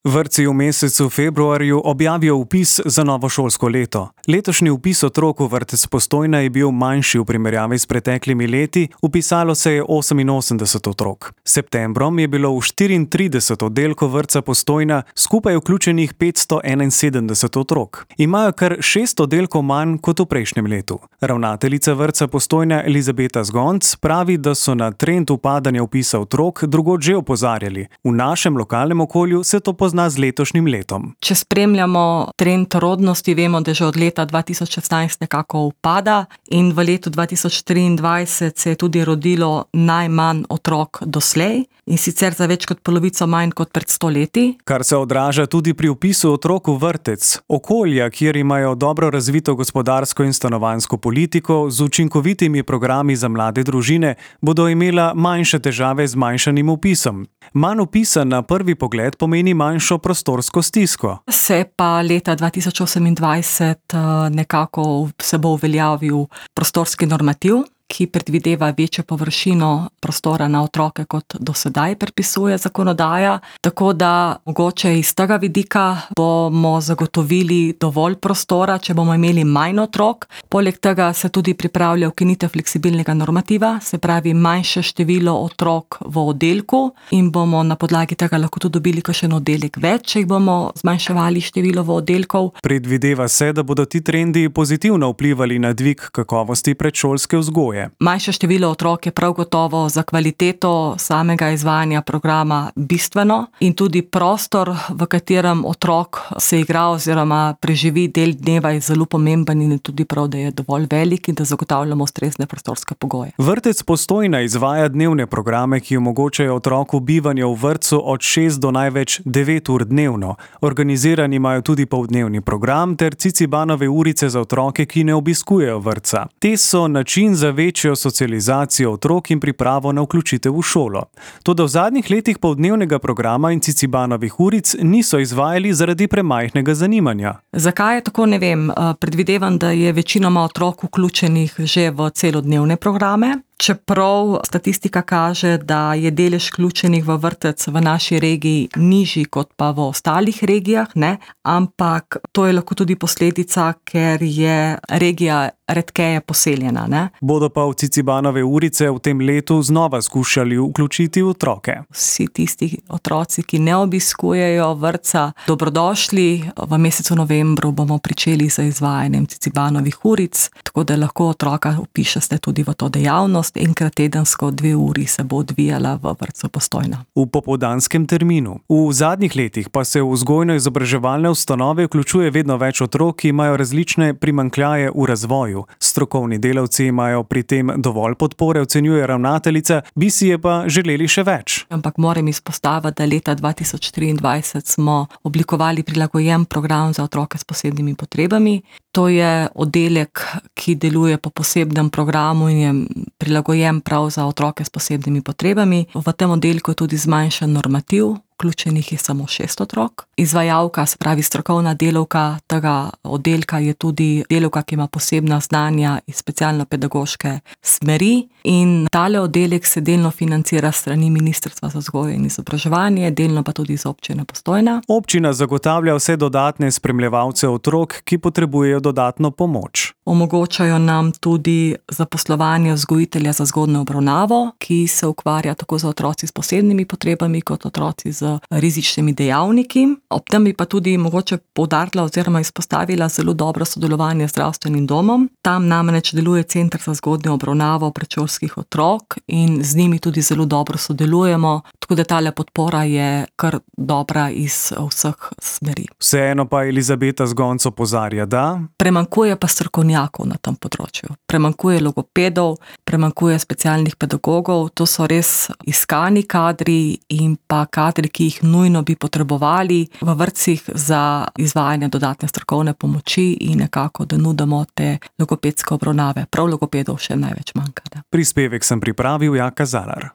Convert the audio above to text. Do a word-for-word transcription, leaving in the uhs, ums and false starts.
Vrtci v mesecu februarju objavijo vpis za novo šolsko leto. Letošnji vpis otrok v vrtec Postojna je bil manjši v primerjavi s preteklimi leti, vpisalo se je oseminosemdeset otrok. S septembrom je bilo v štiriintrideset oddelkov vrtca Postojna skupaj vključenih petsto enainsedemdeset otrok. Imajo kar šest oddelkov manj kot v prejšnjem letu. Ravnateljica vrtca Postojna Elizabeta Zgonc pravi, da so na trend upadanja vpisa otrok drugod že opozarjali. V našem lokalnem okolju se to pozna z letošnjim letom. Če spremljamo trend rodnosti, vemo, da že od leta dva tisoč šestnajst nekako upada in v letu dva tisoč triindvajset se je tudi rodilo najmanj otrok doslej in sicer za več kot polovico manj kot pred sto leti. Kar se odraža tudi pri vpisu otrok v vrtec. Okolja, kjer imajo dobro razvito gospodarsko in stanovanjsko politiko z učinkovitimi programi za mlade družine, bodo imela manjše težave z manjšanim vpisom. Manj vpisa na prvi pogled pomeni manjšo prostorsko stisko. Se pa leta dva tisoč osemindvajset nekako se bo uveljavil prostorski normativ, ki predvideva večjo površino prostora na otroke, kot do sedaj predpisuje zakonodaja. Tako da mogoče iz tega vidika bomo zagotovili dovolj prostora, če bomo imeli manj otrok. Poleg tega se tudi pripravlja ukinitev fleksibilnega normativa, se pravi manjše število otrok v oddelku in bomo na podlagi tega lahko tudi dobili kakšen oddelek več, če jih bomo zmanjševali število v oddelkov. Predvideva se, da bodo ti trendi pozitivno vplivali na dvig kakovosti predšolske vzgoje. Manjše število otrok je prav gotovo za kvaliteto samega izvajanja programa bistveno in tudi prostor, v katerem otrok se igra oziroma preživi del dneva, je zelo pomemben in je tudi prav, da je dovolj velik in da zagotavljamo ustrezne prostorske pogoje. Vrtec Postojna izvaja dnevne programe, ki omogočajo otroku bivanje v vrtcu od šest do največ devet ur dnevno. Organizirani imajo tudi poldnevni program ter Cicibanove urice za otroke, ki ne obiskujejo vrtca. Te so način za večjo socializacijo otrok in pripravo na vključitev v šolo. Toda v zadnjih letih poldnevnega programa in Cicibanovih uric niso izvajali zaradi premajhnega zanimanja. Zakaj je tako, ne vem. Predvidevam, da je večinoma otrok vključenih že v celodnevne programe. Čeprav statistika kaže, da je delež vključenih v vrtec v naši regiji nižji kot pa v ostalih regijah, ne? Ampak to je lahko tudi posledica, ker je regija redkeje poseljena, ne? Bodo pa v Cicibanove urice v tem letu znova skušali vključiti otroke. Vsi tisti otroci, ki ne obiskujejo vrtca, dobrodošli. V mesecu novembru bomo pričeli z izvajanjem Cicibanovih uric, tako da lahko otroka vpišete tudi v to dejavnost. Enkrat tedensko dve uri se bo odvijala v vrtcu Postojna. V popoldanskem terminu. V zadnjih letih pa se v vzgojno-izobraževalne ustanove vključuje vedno več otrok, ki imajo različne primanjkljaje v razvoju. Strokovni delavci imajo pri tem dovolj podpore, ocenjuje ravnateljica, bi si je pa želeli še več. Ampak moram izpostaviti, da leta dva tisoč triindvajset smo oblikovali prilagojen program za otroke s posebnimi potrebami. To je oddelek, ki deluje po posebnem programu in je prilagojen prav za otroke s posebnimi potrebami. V tem oddelku je tudi zmanjšan normativ, vključenih je samo šest otrok. Izvajalka, se pravi strokovna delavka tega oddelka, je tudi delavka, ki ima posebna znanja iz specialno-pedagoške smeri in tale oddelek se delno financira s strani Ministrstva za vzgojo in izobraževanje, delno pa tudi iz občine Postojna. Občina zagotavlja vse dodatne spremljevalce otrok, ki potrebujejo dodatno pomoč. Omogočajo nam tudi zaposlovanje vzgojitelja za zgodnjo obravnavo, ki se ukvarja tako z otroci s posebnimi potrebami kot otroci z rizičnimi dejavniki. Ob tem bi pa tudi mogoče poudarila oziroma izpostavila zelo dobro sodelovanje z zdravstvenim domom. Tam namreč deluje Center za zgodnjo obravnavo predšolskih otrok in z njimi tudi zelo dobro sodelujemo, tako da tale podpora je kar dobra iz vseh smeri. Vseeno pa Elizabeta Zgonc opozarja, da premankuje pa strokovnjakov na tem področju. Premankuje logopedov, premankuje specialnih pedagogov, to so res iskani kadri in pa kadri, ki jih nujno bi potrebovali v vrtcih za izvajanje dodatne strokovne pomoči in nekako, da nudimo te logopedske obravnave. Prav logopedov še največ manjka. Prispevek sem pripravil Jaka Zalar.